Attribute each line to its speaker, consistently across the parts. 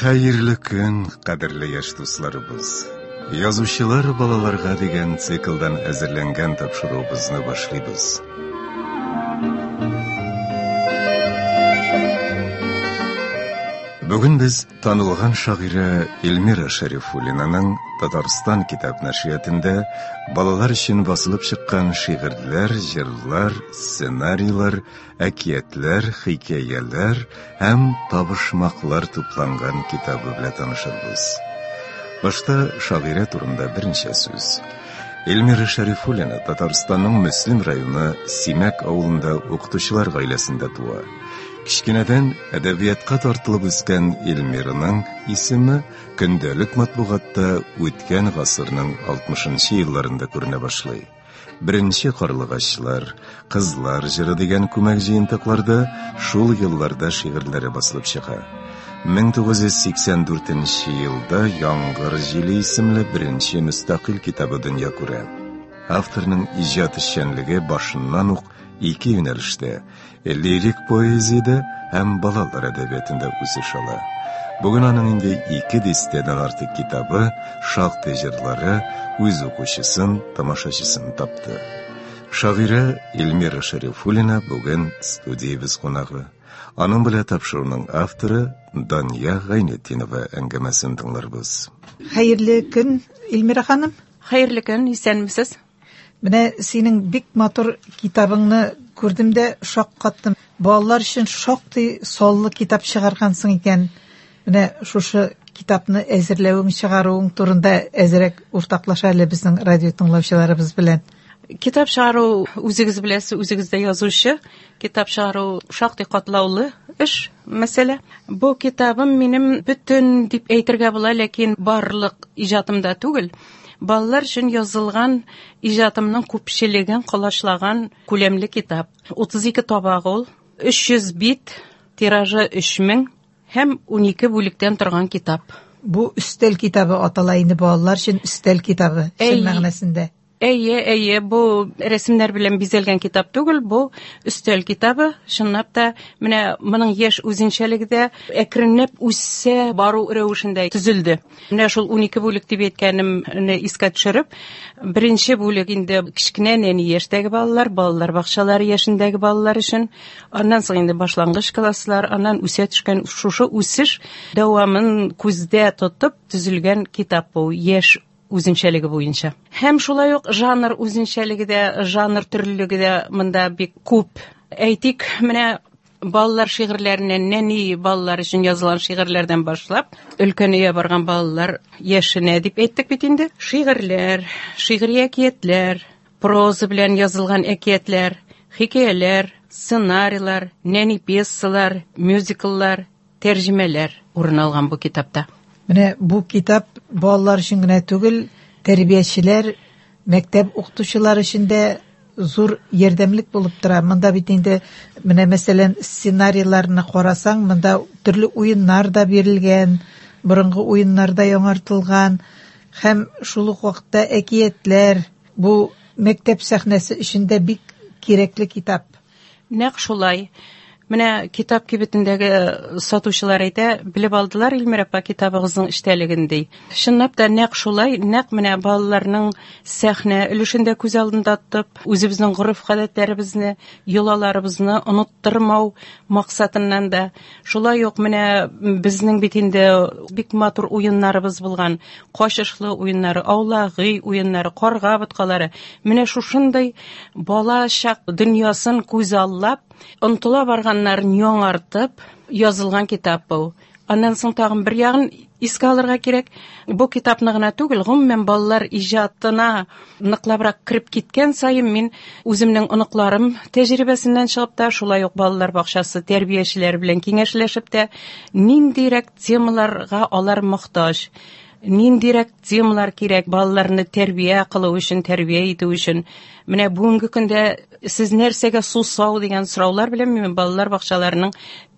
Speaker 1: Хәерле көн, кадерле яшь дусларыбыз. Язучылар балаларга дигән циклдан әзерләнгән тапшыруыбызны башлыйбыз. Бүген без танылган шагыйрә Эльмира Шәрифуллинаның Татарстан китап нәшриятында балалар өчен басылып чыккан шигырьләр, җырлар, сценарийлар, әкиятләр, хикәяләр һәм табышмаклар тупланган китабы белән танышырбыз. Башта шагыйрә турында берничә сүз. Эльмира Шәрифуллина Татарстанның Мөслим районы Симәк авылында укытучылар гаиләсендә туа. Кечкенәдән әдәбиятка тартылып үскән Эльмираның исеме көндәлек матбугатта үткән гасырның 60 нчы елларында күренә башлый. Беренче карлыгачлар, Кызлар җыры дигән күмәк җыентыкларда шул елларда шигырьләре басылып чыга. 1984 нче елда Яңгыр җиле исемле беренче мөстәкыйль китабы дөнья күрә. Авторның иҗат эшчәнлеге башыннан ук ике юнәлештә, лирик поэзиядә һәм балалар әдәбиятында үсеш ала. Бүген аның инде ике дистәдән артык китабы, шактый җырлары үз укучысын, тамашачысын тапты. Шагыйрә Эльмира Шәрифуллина бүген студиябез кунагы. Аның белән тапшыруның авторы Дания Гайнетдинова әңгәмәсен тыңларбыз.
Speaker 2: Хәерле көн, Эльмира ханым.
Speaker 3: Хәерле көн, исәнмесез.
Speaker 2: Менә синең бик матур китабыңны күрдем дә шаккаттым. Балалар өчен шактый саллы китап чыгаргансың икән. Менә шушы китапны әзерләвең, чыгаруың турында әзрәк уртаклаш әле безнең радио тыңлаучыларыбыз белән.
Speaker 3: Китап чыгару, үзегез беләсез, үзегез дә язучы. Китап чыгару шактый катлаулы эш, мәсьәлә. Бу китабым минем бөтен дип әйтергә була, ләкин барлык иҗатымда түгел. Балалар өчен язылган иҗатымның күпчелеген колачлаган күләмле китап. 32 табак ул, 300 бит, тиражы 3000 һәм 12 бүлектән торган китап.
Speaker 2: Бу өстәл китабы атала инде балалар өчен өстәл китабы, чын мәгънәсендә.
Speaker 3: Әйе, әйе, бу рәсемнәр белән бизәлгән китап түгел, бу өстәл китабы. Чынлап та, менә моның яшь үзенчәлеге дә әкренләп үсә бару рәвешендә төзелде. Менә шул 12 бүлек дип әйткәнемне искә төшереп, беренче бүлек инде кечкенә нәни яшьтәге балалар, балалар бакчалары яшендәге балалар өчен. Аннан соң инде башлангыч класслар, аннан үсә төшкән шушы үсеш дәвамын күздә тотып төзелгән китап бу, яшь үзенчәлеге буенча. Һәм шулай ук жанр үзенчәлеге дә, жанр төрлелеге дә монда бик күп. Әйтик, менә балалар шигырьләреннән, нәни балалар өчен язылган шигырьләрдән башлап, өлкәнәя барган балалар яшенә дип әйттек бит инде. Шигырьләр, шигъри әкиятләр, проза белән язылган әкиятләр, хикәяләр, сценарийлар, нәни пьесалар, мюзикллар, тәрҗемәләр урын алган бу китапта.
Speaker 2: Менә бу китап балалар өчен генә түгел, тәрбиячеләр, мәктәп укытучылары өчен дә зур ярдәмлек булып тора. Монда бит инде менә мәсәлән сценарийларны карасаң, монда төрле уеннар да бирелгән, борынгы уеннар да яңартылган һәм шул ук вакытта әкиятләр. Бу мәктәп сәхнәсе өчен дә бик кирәкле китап.
Speaker 3: Нәкъ шулай. Менә китап кибетендәге сатучылар әйтә, белеп алдылар Илмира апа китабыгызның эчтәлеген ди. Чынлап та нәкъ шулай, нәкъ менә балаларның сәхнә өлешен дә күз алдында тотып, үзебезнең гореф-гадәтләребезне, йолаларыбызны оныттырмау максатыннан да, шулай ук менә безнең бит инде бик матур уеннарыбыз булган, качышлы уеннары, аулагый уеннары, карга боткалары. Менә шушындый бала чак дөньясын күзаллап, онтыла барганнарын яңартып язылган китап бу. Аннан соң тагын бер ягын искә алырга кирәк. Бу китапны гына түгел, гомумән балалар иҗатына ныклабрак кереп киткән саен мин үземнең оныкларым тәҗрибәсеннән чыгып та, шулай ук балалар бакчасы тәрбиячеләре белән киңәшләшеп тә, ниндирәк темаларга алар мохтаҗ, ниндирәк темалар кирәк балаларны тәрбия кылу өчен, тәрбия итү өчен. Менә бүгенге көндә сез нәрсәгә сусау дигән сораулар белән мин балалар бакчаларының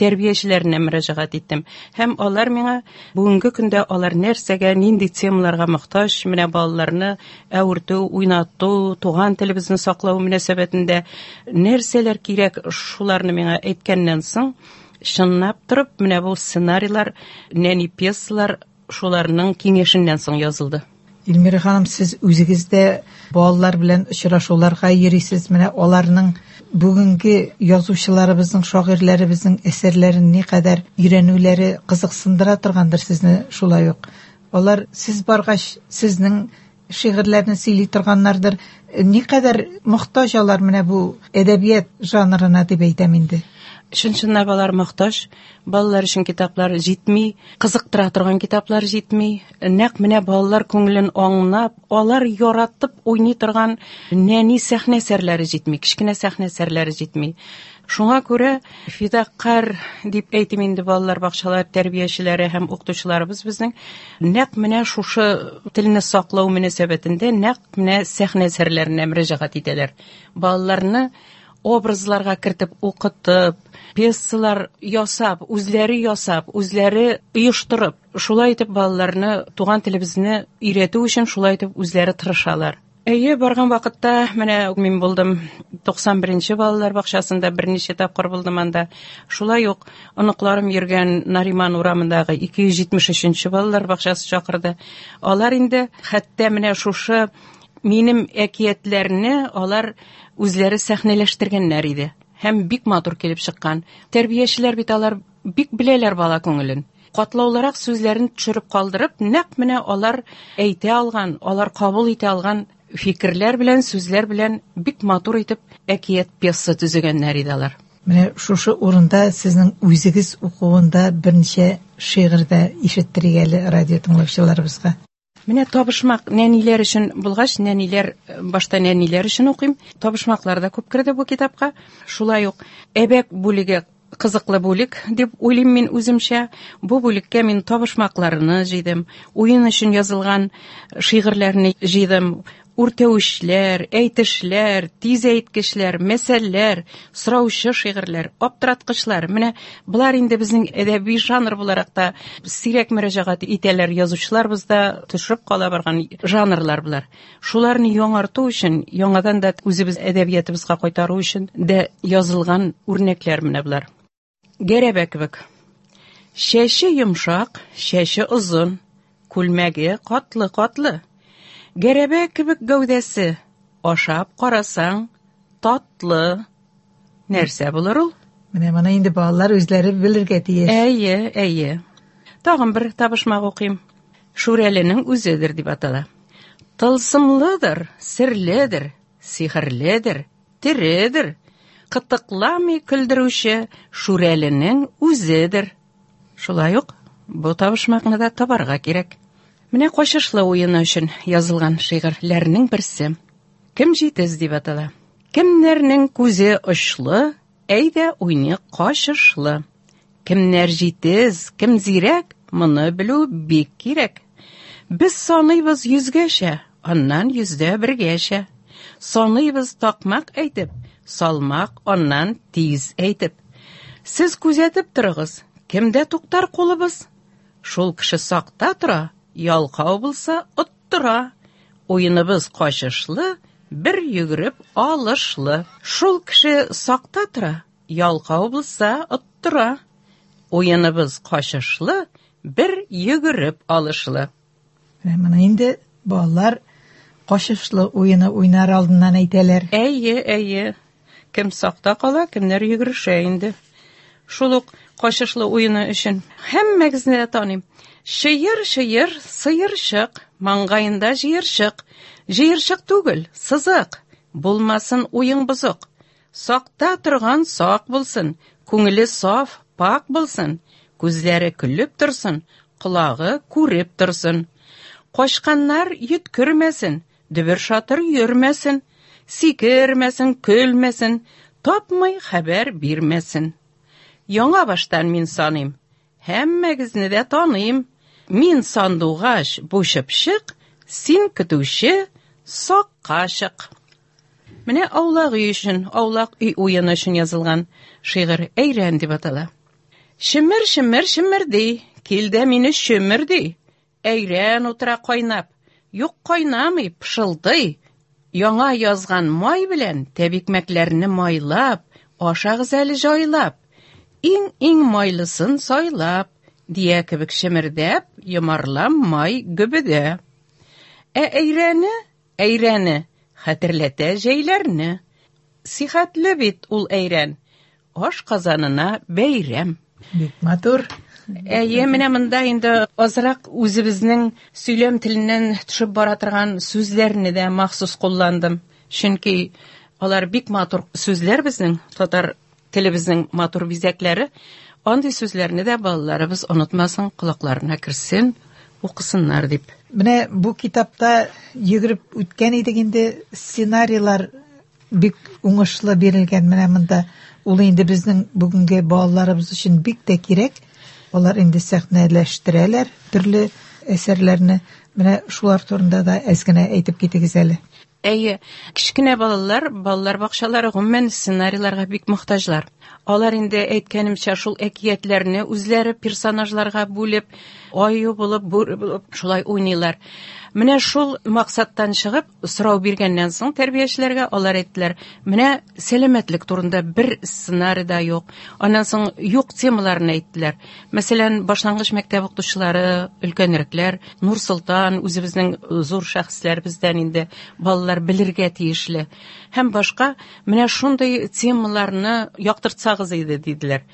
Speaker 3: тәрбиячеләренә мөрәҗәгать иттем. Һәм алар миңа бүгенге көндә алар нәрсәгә, нинди темаларга мохтаҗ, менә балаларны әвертү, уйнату, туган телебезне саклау мөнәсәбәтендә нәрсәләр кирәк, шуларны миңа әйткәннән соң, Чынлап торып, менә бу сценарийлар, нәни пьесалар шуларның киңәшеннән соң язылды.
Speaker 2: Эльмира ханым, сез үзегез дә балалар белән очрашуларга йөрисез. Менә аларның бүгенге язучыларыбызның, шагыйрьләребезнең әсәрләрен никадәр өйрәнүләре кызыксындыра торгандыр сезне шулай ук. Алар сез баргач, сезнең шигырьләрне сөйли торганнардыр. Никадәр мохтаҗ алар менә бу әдәбият жанрына дип әйтәм инде.
Speaker 3: Чын-чынлап алар мохтаҗ. Балалар өчен китаплар җитми, кызыктыра торган китаплар җитми. Нәкъ менә балалар күңелен аңлап, алар яратып уйный торган нәни сәхнә әсәрләре җитми, кечкенә сәхнә әсәрләре җитми. Шуңа күрә фидакарь дип әйтим инде балалар бакчалары тәрбиячеләре һәм укытучыларыбыз безнең нәкъ менә шушы телне саклау мөнәсәбәтендә нәкъ менә сәхнә әсәрләренә мөрәҗәгать итәләр. Балаларны образларга кертеп укытып, пьесалар ясап, үзләре ясап, үзләре оештырып, шулай итеп балаларны туган телебезне өйрәтү өчен шулай итеп үзләре тырышалар. Әйе, барган вакытта менә мин булдым 91-нче балалар бакчасында берничә тапкыр булдым анда. Шулай ук оныкларым йөргән Нариман урамындагы 273-нче балалар бакчасы чакырды. Алар инде хәтта менә шушы минем әкиятләрне алар үзләре сәхнәләштергәннәр иде. Һәм бик матур килеп чыккан. Тәрбиячеләр бит алар бик беләләр бала күңелен. Катлаулырак сүзләрен төшереп калдырып, нәкъ менә алар әйтә алган, алар кабул итә алган фикерләр белән, сүзләр белән бик матур итеп әкият пьеса төзегәннәр иде алар.
Speaker 2: Менә шушы урында сезнең үзегез укуында берничә шигырь дә ишеттерик әле радио тыңлаучыларыбызга.
Speaker 3: Менә табышмак нәниләр өчен булгач, нәниләр башта нәниләр өчен укыйм. Табышмаклар да күп керде бу китапка. Шулай ук әбәк бүлеге кызыклы бүлек дип уйлыйм мин үземчә. Бу бүлеккә мин табышмакларны җыйдым, уен өчен язылган шигырьләрне җыйдым, үртәүчләр, әйтешләр, тиз әйткечләр, мәсәлләр, сораучы шигырьләр, аптыраткычлар. Менә болар инде безнең әдәби жанр буларак та сирәк мөрәҗәгать итәләр язучыларыбыз да төшеп кала барган жанрлар болар. Шуларны яңарту өчен, яңадан да үзебез әдәбиятыбызга кайтару өчен дә язылган үрнәкләр менә болар. Гәрәбә кебек. Чәче йомшак, чәче озын, күлмәге катлы-катлы. Гәрәбә кебек гәүдәсе, ашап карасаң, татлы. Нәрсә булыр ул?
Speaker 2: Менә моны инде балалар үзләре белергә тиеш.
Speaker 3: Әйе, әйе. Тагын бер табышмак укыйм. Шүрәленең үзедер дип атала. Тылсымлыдыр, серледер, сихерледер, тередер. Кытыкламый көлдерүче Шүрәленең үзедер. Шулай ук бу табышмакны да табарга кирәк. Менә качышлы уены өчен язылган шигырьләрнең берсе. Кем җитез дип атала. Кемнәрнең күзе очлы, әйдә уйныйк качышлы. Кемнәр җитез, кем зирәк, моны белү бик кирәк. Без саныйбыз йөзгәчә, аннан йөздә бергәчә. Саныйбыз такмак әйтеп, салмак аннан тиз әйтеп. Сез күзәтеп торыгыз, кемдә туктар кулыбыз? Шул кеше сакта тора, ялкау булса оттыра. Уеныбыз качышлы, бер йөгереп алышлы. Шул кеше сакта тора, ялкау булса оттыра. Уеныбыз качышлы, бер йөгереп алышлы.
Speaker 2: Менә моны инде балалар качышлы уены уйнар алдыннан әйтәләр.
Speaker 3: Әйе, әйе. Кем сакта кала, кемнәр йөгерешә инде. Шул ук качышлы уены өчен һәммәгезне дә таныйм. Чыер, чыер, сыерчык, маңгаенда җыерчык. Җыерчык түгел, сызык. Булмасын уең бозык. Сакта торган сак булсын, күңеле саф, пак булсын, күзләре көлеп торсын, колагы күреп торсын. Качканнар йөткермәсен, дөбер-шатыр йөрмәсен, сикермәсен, көлмәсен, тапмый хәбәр бирмәсен. Яңа баштан мин саныйм, һәммәгезне дә таныйм. Мин сандугач, бу чыпчык, син көтүче, сакка чык. Менә аулак өй өчен, аулак өй уены өчен язылган шигырь Әйрән дип атала. Чемер, чемер, чемер ди, кил дә мине чөмер ди. Әйрән утыра кайнап, юк кайнамый, пышылдый. Яңа язган май белән тәбикмәкләрне майлап, ашагыз әле җайлап. Иң-иң майлысын сайлап, дия кебек чемердәп, йомарлам май гөбедә. Ә әйрәне, әйрәне хәтерләтә җәйләрне. Сихәтле бит ул әйрән, аш казанына бәйрәм.
Speaker 2: Бик матур.
Speaker 3: Әйе, менә монда инде азрак үзебезнең сөйләм теленнән төшеп бара торган сүзләрне дә махсус кулландым. Чөнки алар бик матур сүзләр безнең татар телебезнең матур бизәкләре. Андый сүзләрне дә балаларыбыз онытмасын, колакларына керсен, укысыннар дип.
Speaker 2: Менә бу китапта йөгереп үткән идек инде, сценарийлар бик уңышлы бирелгән менә монда. Ул инде безнең бүгенге балаларыбыз өчен бик тә кирәк. Алар инде сәхнәләштерәләр төрле әсәрләрне. Менә шулар турында да әз генә әйтеп китегез әле.
Speaker 3: Әйе, кечкенә балалар, балалар бакчалары гомумән сценарийларга бик мохтаҗлар. Алар инде әйткәнемчә шул әкиятләрне үзләре персонажларга бүлеп, аю булып, бүре булып шулай уйныйлар. Менә шул максаттан чыгып, сорау биргәннән соң тәрбиячеләргә алар әйттеләр, менә сәламәтлек турында бер сценарий да юк. Аннан соң юк темаларын әйттеләр. Мәсәлән, башлангыч мәктәп укытучылары, өлкәнрәкләр, Нур Солтан, үзебезнең зур шәхесләребездән инде балалар белергә тиешле. Һәм башка менә шундый темаларны яктыртсагыз иде, диделәр.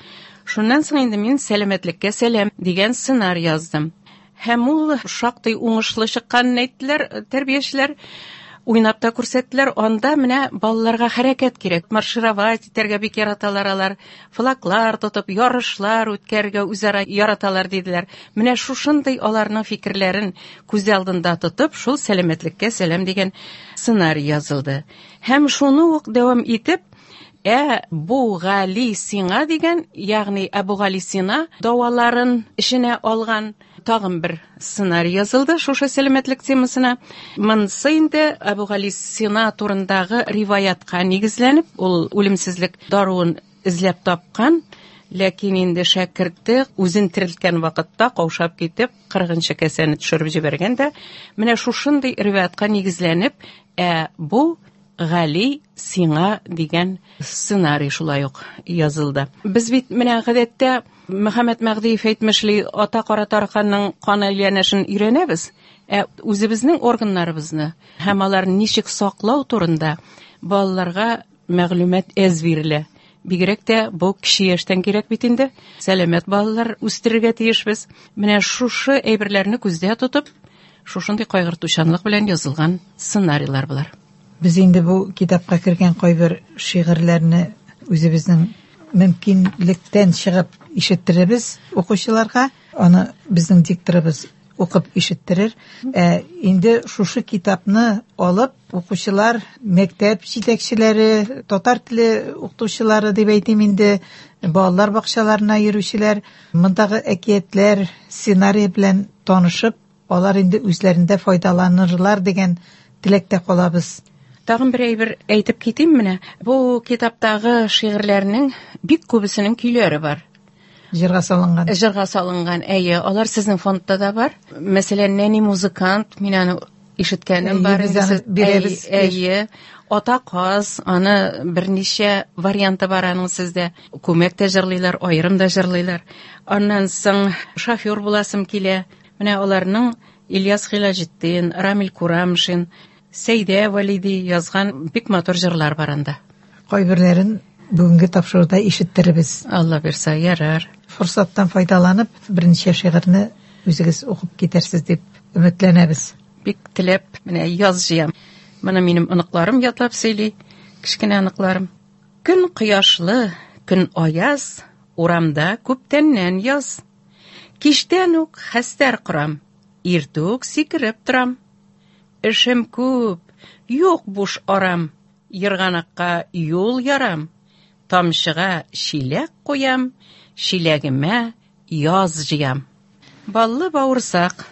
Speaker 3: Шуннан соң инде мин сәламәтлеккә сәлам дигән сценарий яздым. Һәм ул шактый уңышлы чыкканын әйттеләр тәрбиячеләр. Уйнап та күрсәттеләр. Анда менә балаларга хәрәкәт кирәк. Маршировать итәргә бик яраталар алар. Флаглар тотып, ярышлар үткәрергә үзара яраталар диделәр. Менә шушындый аларның фикерләрен күз алдында тотып, шул сәламәтлеккә сәлам дигән сценарий язылды. Һәм шуны ук дәвам итеп, Әбу Гали Сина дигән, ягъни Әбу Гали Сина дәваларын эченә алган тагын бер сценарий язылды шушы сәламәтлек темасына. Монысы инде Әбу Гали Сина турындагы риваятка нигезләнеп, ул үлемсезлек даруын эзләп тапкан, ләкин инде шәкерте үзен терелткән вакытта каушап китеп, 40-нчы кәсәне төшереп җибәргән дә, менә шушындый риваятка нигезләнеп, Әбу Гали Сиңа дигән сценарий шулай ук язылды. Без бит менә гадәттә Мөхәммәт Мәгъдиев әйтмешли, ата кара тараканның кан әйләнешен өйрәнәбез, ә үзебезнең органнарыбызны һәм аларны ничек саклау турында балаларга мәгълүмат әз бирелә. Бигрәк тә бу кече яшьтән кирәк бит инде. Сәламәт балалар үстерергә тиешбез. Менә шушы әйберләрне күздә тотып, шушындый кайгыртучанлык белән язылган сценарийлар болар.
Speaker 2: Без инде бу китапка кергән кайбер шигырьләрне үзебезнең мөмкинлектән чыгып ишеттеребез укучыларга. Аны безнең дикторыбыз укып ишеттерер. Инде шушы китапны алып укучылар, мәктәп җитәкчеләре, татар теле укытучылары дип әйтим инде, балалар бакчаларына йөрүчеләр, мондагы әкиятләр, сценарий белән танышып, алар инде үзләрендә файдаланырлар дигән теләктә калабыз.
Speaker 3: Тагын бер әйбер әйтеп китим менә. Бу китаптагы шигырьләрнең бик күбесенең көйләре бар.
Speaker 2: Җырга салынган.
Speaker 3: Җырга салынган, әйе, алар сезнең фондта да бар. Мәсәлән, Нәни музыкант, мин аны ишеткәнем бар.
Speaker 2: Без аны бирәбез.
Speaker 3: Әйе, Ата каз, аны берничә варианты бар аның сездә. Күмәк тә җырлыйлар, аерым да җырлыйлар. Аннан соң шофер буласым килә. Менә аларның Ильяс Хилаҗетдин, Рамил Курамшин, Сәйдә Валиди язган бик матур җырлар бар анда.
Speaker 2: Кайберләрен бүгенге тапшыруда ишеттеребез.
Speaker 3: Алла бирсә, ярар.
Speaker 2: Форсаттан файдаланып, берничә шигырьне үзегез укып китәрсез дип өметләнәбез.
Speaker 3: Бик теләп, менә яз җыям. Моны минем оныкларым ятлап сөйли, кечкенә оныкларым. Көн кояшлы, көн аяз, урамда күптәннән яз. Кичтән үк хәстәр корам, иртүк сикереп торам. Эшем күп, юк буш арам, ерганакка юл ярам, тамчыга чиләк куям, чиләгемә яз җыям. Баллы бавырсак.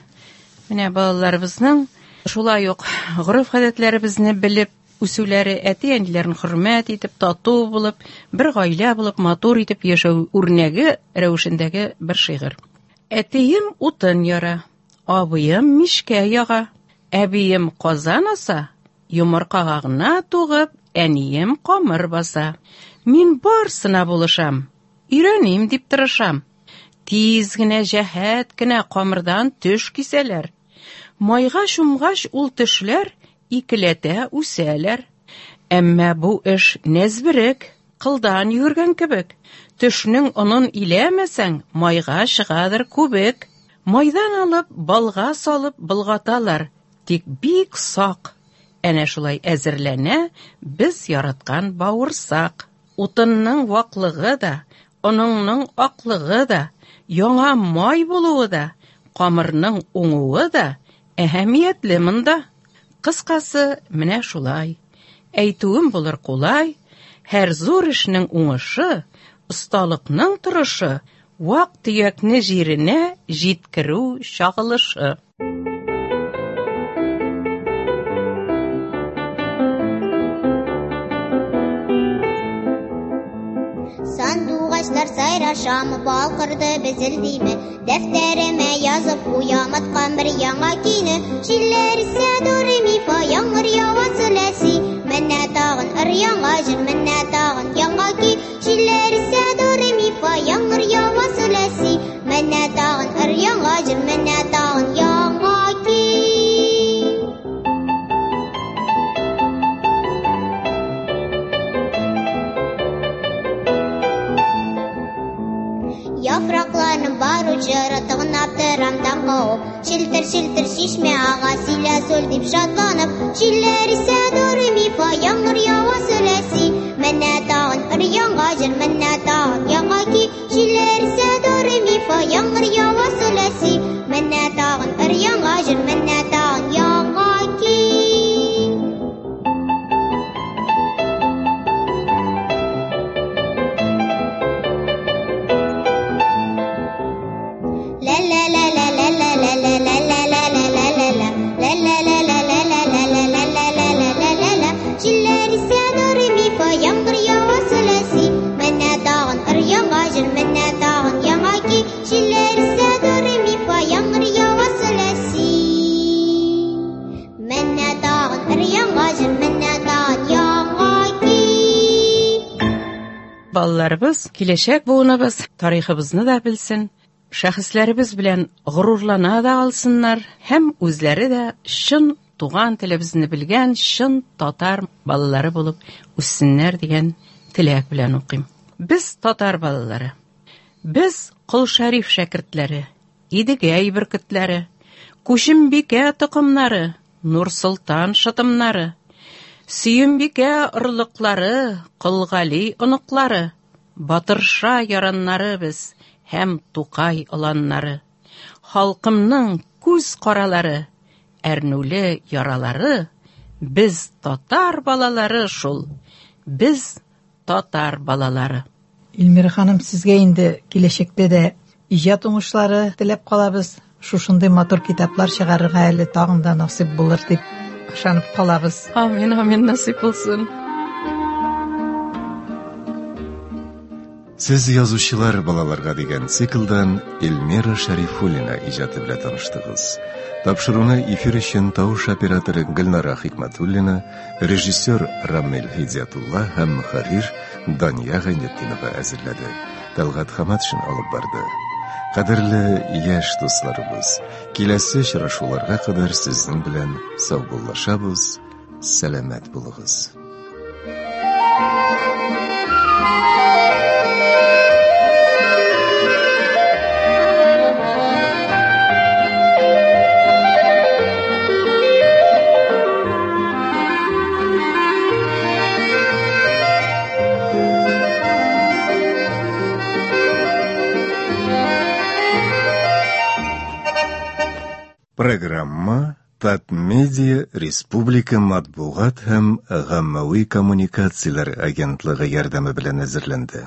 Speaker 3: Менә балаларыбызның шулай ук гореф-гадәтләребезне белеп үсүләре, әти-әниләрен хөрмәт итеп, тату булып, бер гаилә булып, матур итеп яшәү үрнәге рәвешендәге бер шигырь. Әтием утын яра, абыем мичкә яга, әбием казан аса, йомыркага гына тугып, әнием камыр баса. Мин барсына булышам, Өйрәним дип тырышам. Тиз генә, җәһәт кенә камырдан төш кисәләр. Майга чумгач ул төшләр икеләтә үсәләр. Әмма бу эш нәзберек, кылдан йөгергән кебек. Төшнең онын иләмәсәң, майга чыгадыр күбек. Майдан алып, балга салып болгаталар, тик бик сак. Әнә шулай әзерләнә без яраткан бавырсак. Утынның ваклыгы да, оныңның аклыгы да, яңа май булуы да, камырның уңуы да әһәмиятле монда. Кыскасы, менә шулай. Әйтүем булыр кулай, һәр зур эшнең уңышы, осталыкның торышы, вак-төякне җиренә җиткерү чагылышы.
Speaker 4: Сандугачлар сайрашамы, бал кырды безелдиме? Дәфтәремә язып куям аткан бер яңа көйне. Җилләр исә до ре ми фа, яңгыр ява солә си. Менә тагын ыр яңа җыр, менә тагын яңа көй. Җилләр исә до ре ми фа, яңгыр ява солә си. Менә тагын ыр яңа җыр, менә тагын яңа көй. Яфракларның бар учыры тыгынап торам таң кавып. Челтер-челтер чишмә ага, силә соль дип шатланып. Җилләр исә до ре ми фа, яңгыр ява солә си. Менә тагын ыр яңа җыр, менә тагын яңа көй. Җилләр исә до ре ми фа, яңгыр ява солә си. Менә тагын ыр яңа җыр, менә тагын яңа көй. Җилләр исә до ре ми фа, яңгыр ява солә си. Менә тагын ыр яңа җыр, менә тагын яңа көй. Җилләр исә до ре ми фа, яңгыр ява солә си. Менә тагын ыр яңа җыр, менә тагын яңа көй.
Speaker 3: Балаларыбыз, киләчәк буыныбыз тарихыбызны да белсен, шәхесләребез белән горурлана да алсыннар һәм үзләре дә чын туган телебезне белгән чын татар балалары булып үссеннәр дигән теләк белән укыйм. Без татар балалары. Без Кол Шәриф шәкертләре, Идегәй бөркетләре, Күчембикә токымнары, Нур Солтан шытымнары, Сөембикә орлыклары, Кол Гали оныклары, Батырша яраннары без һәм Тукай оланнары. Халкымның күз каралары, әрнүле яралары, без татар балалары шул, без татар балалары.
Speaker 2: Эльмира ханым, сезгә инде киләчәктә дә иҗат уңышлары теләп калабыз. Шушындый матур китаплар чыгарырга әле тагын да насыйп булыр дип ышанып калабыз.
Speaker 3: Амин, амин, насыйп булсын.
Speaker 1: Сез язучылар балаларга дигән циклдан Эльмира Шәрифуллина иҗаты белән таныштыгыз. Тапшыруны эфир өчен тавыш операторы Гөлнара Хикмәтуллина, режиссер Рамил Һидиятулла һәм мөхәррир Дания Гайнетдинова әзерләде. Талгат Хаматшин алып барды. Кадерле яшь дусларыбыз, киләсе очрашуларга кадәр сезнең белән саубуллашабыз. Сәламәт булыгыз. Программа Татмедиа Республика матбугат һәм гаммәви коммуникацияләр агентлыгы ярдәме белән әзерләнде.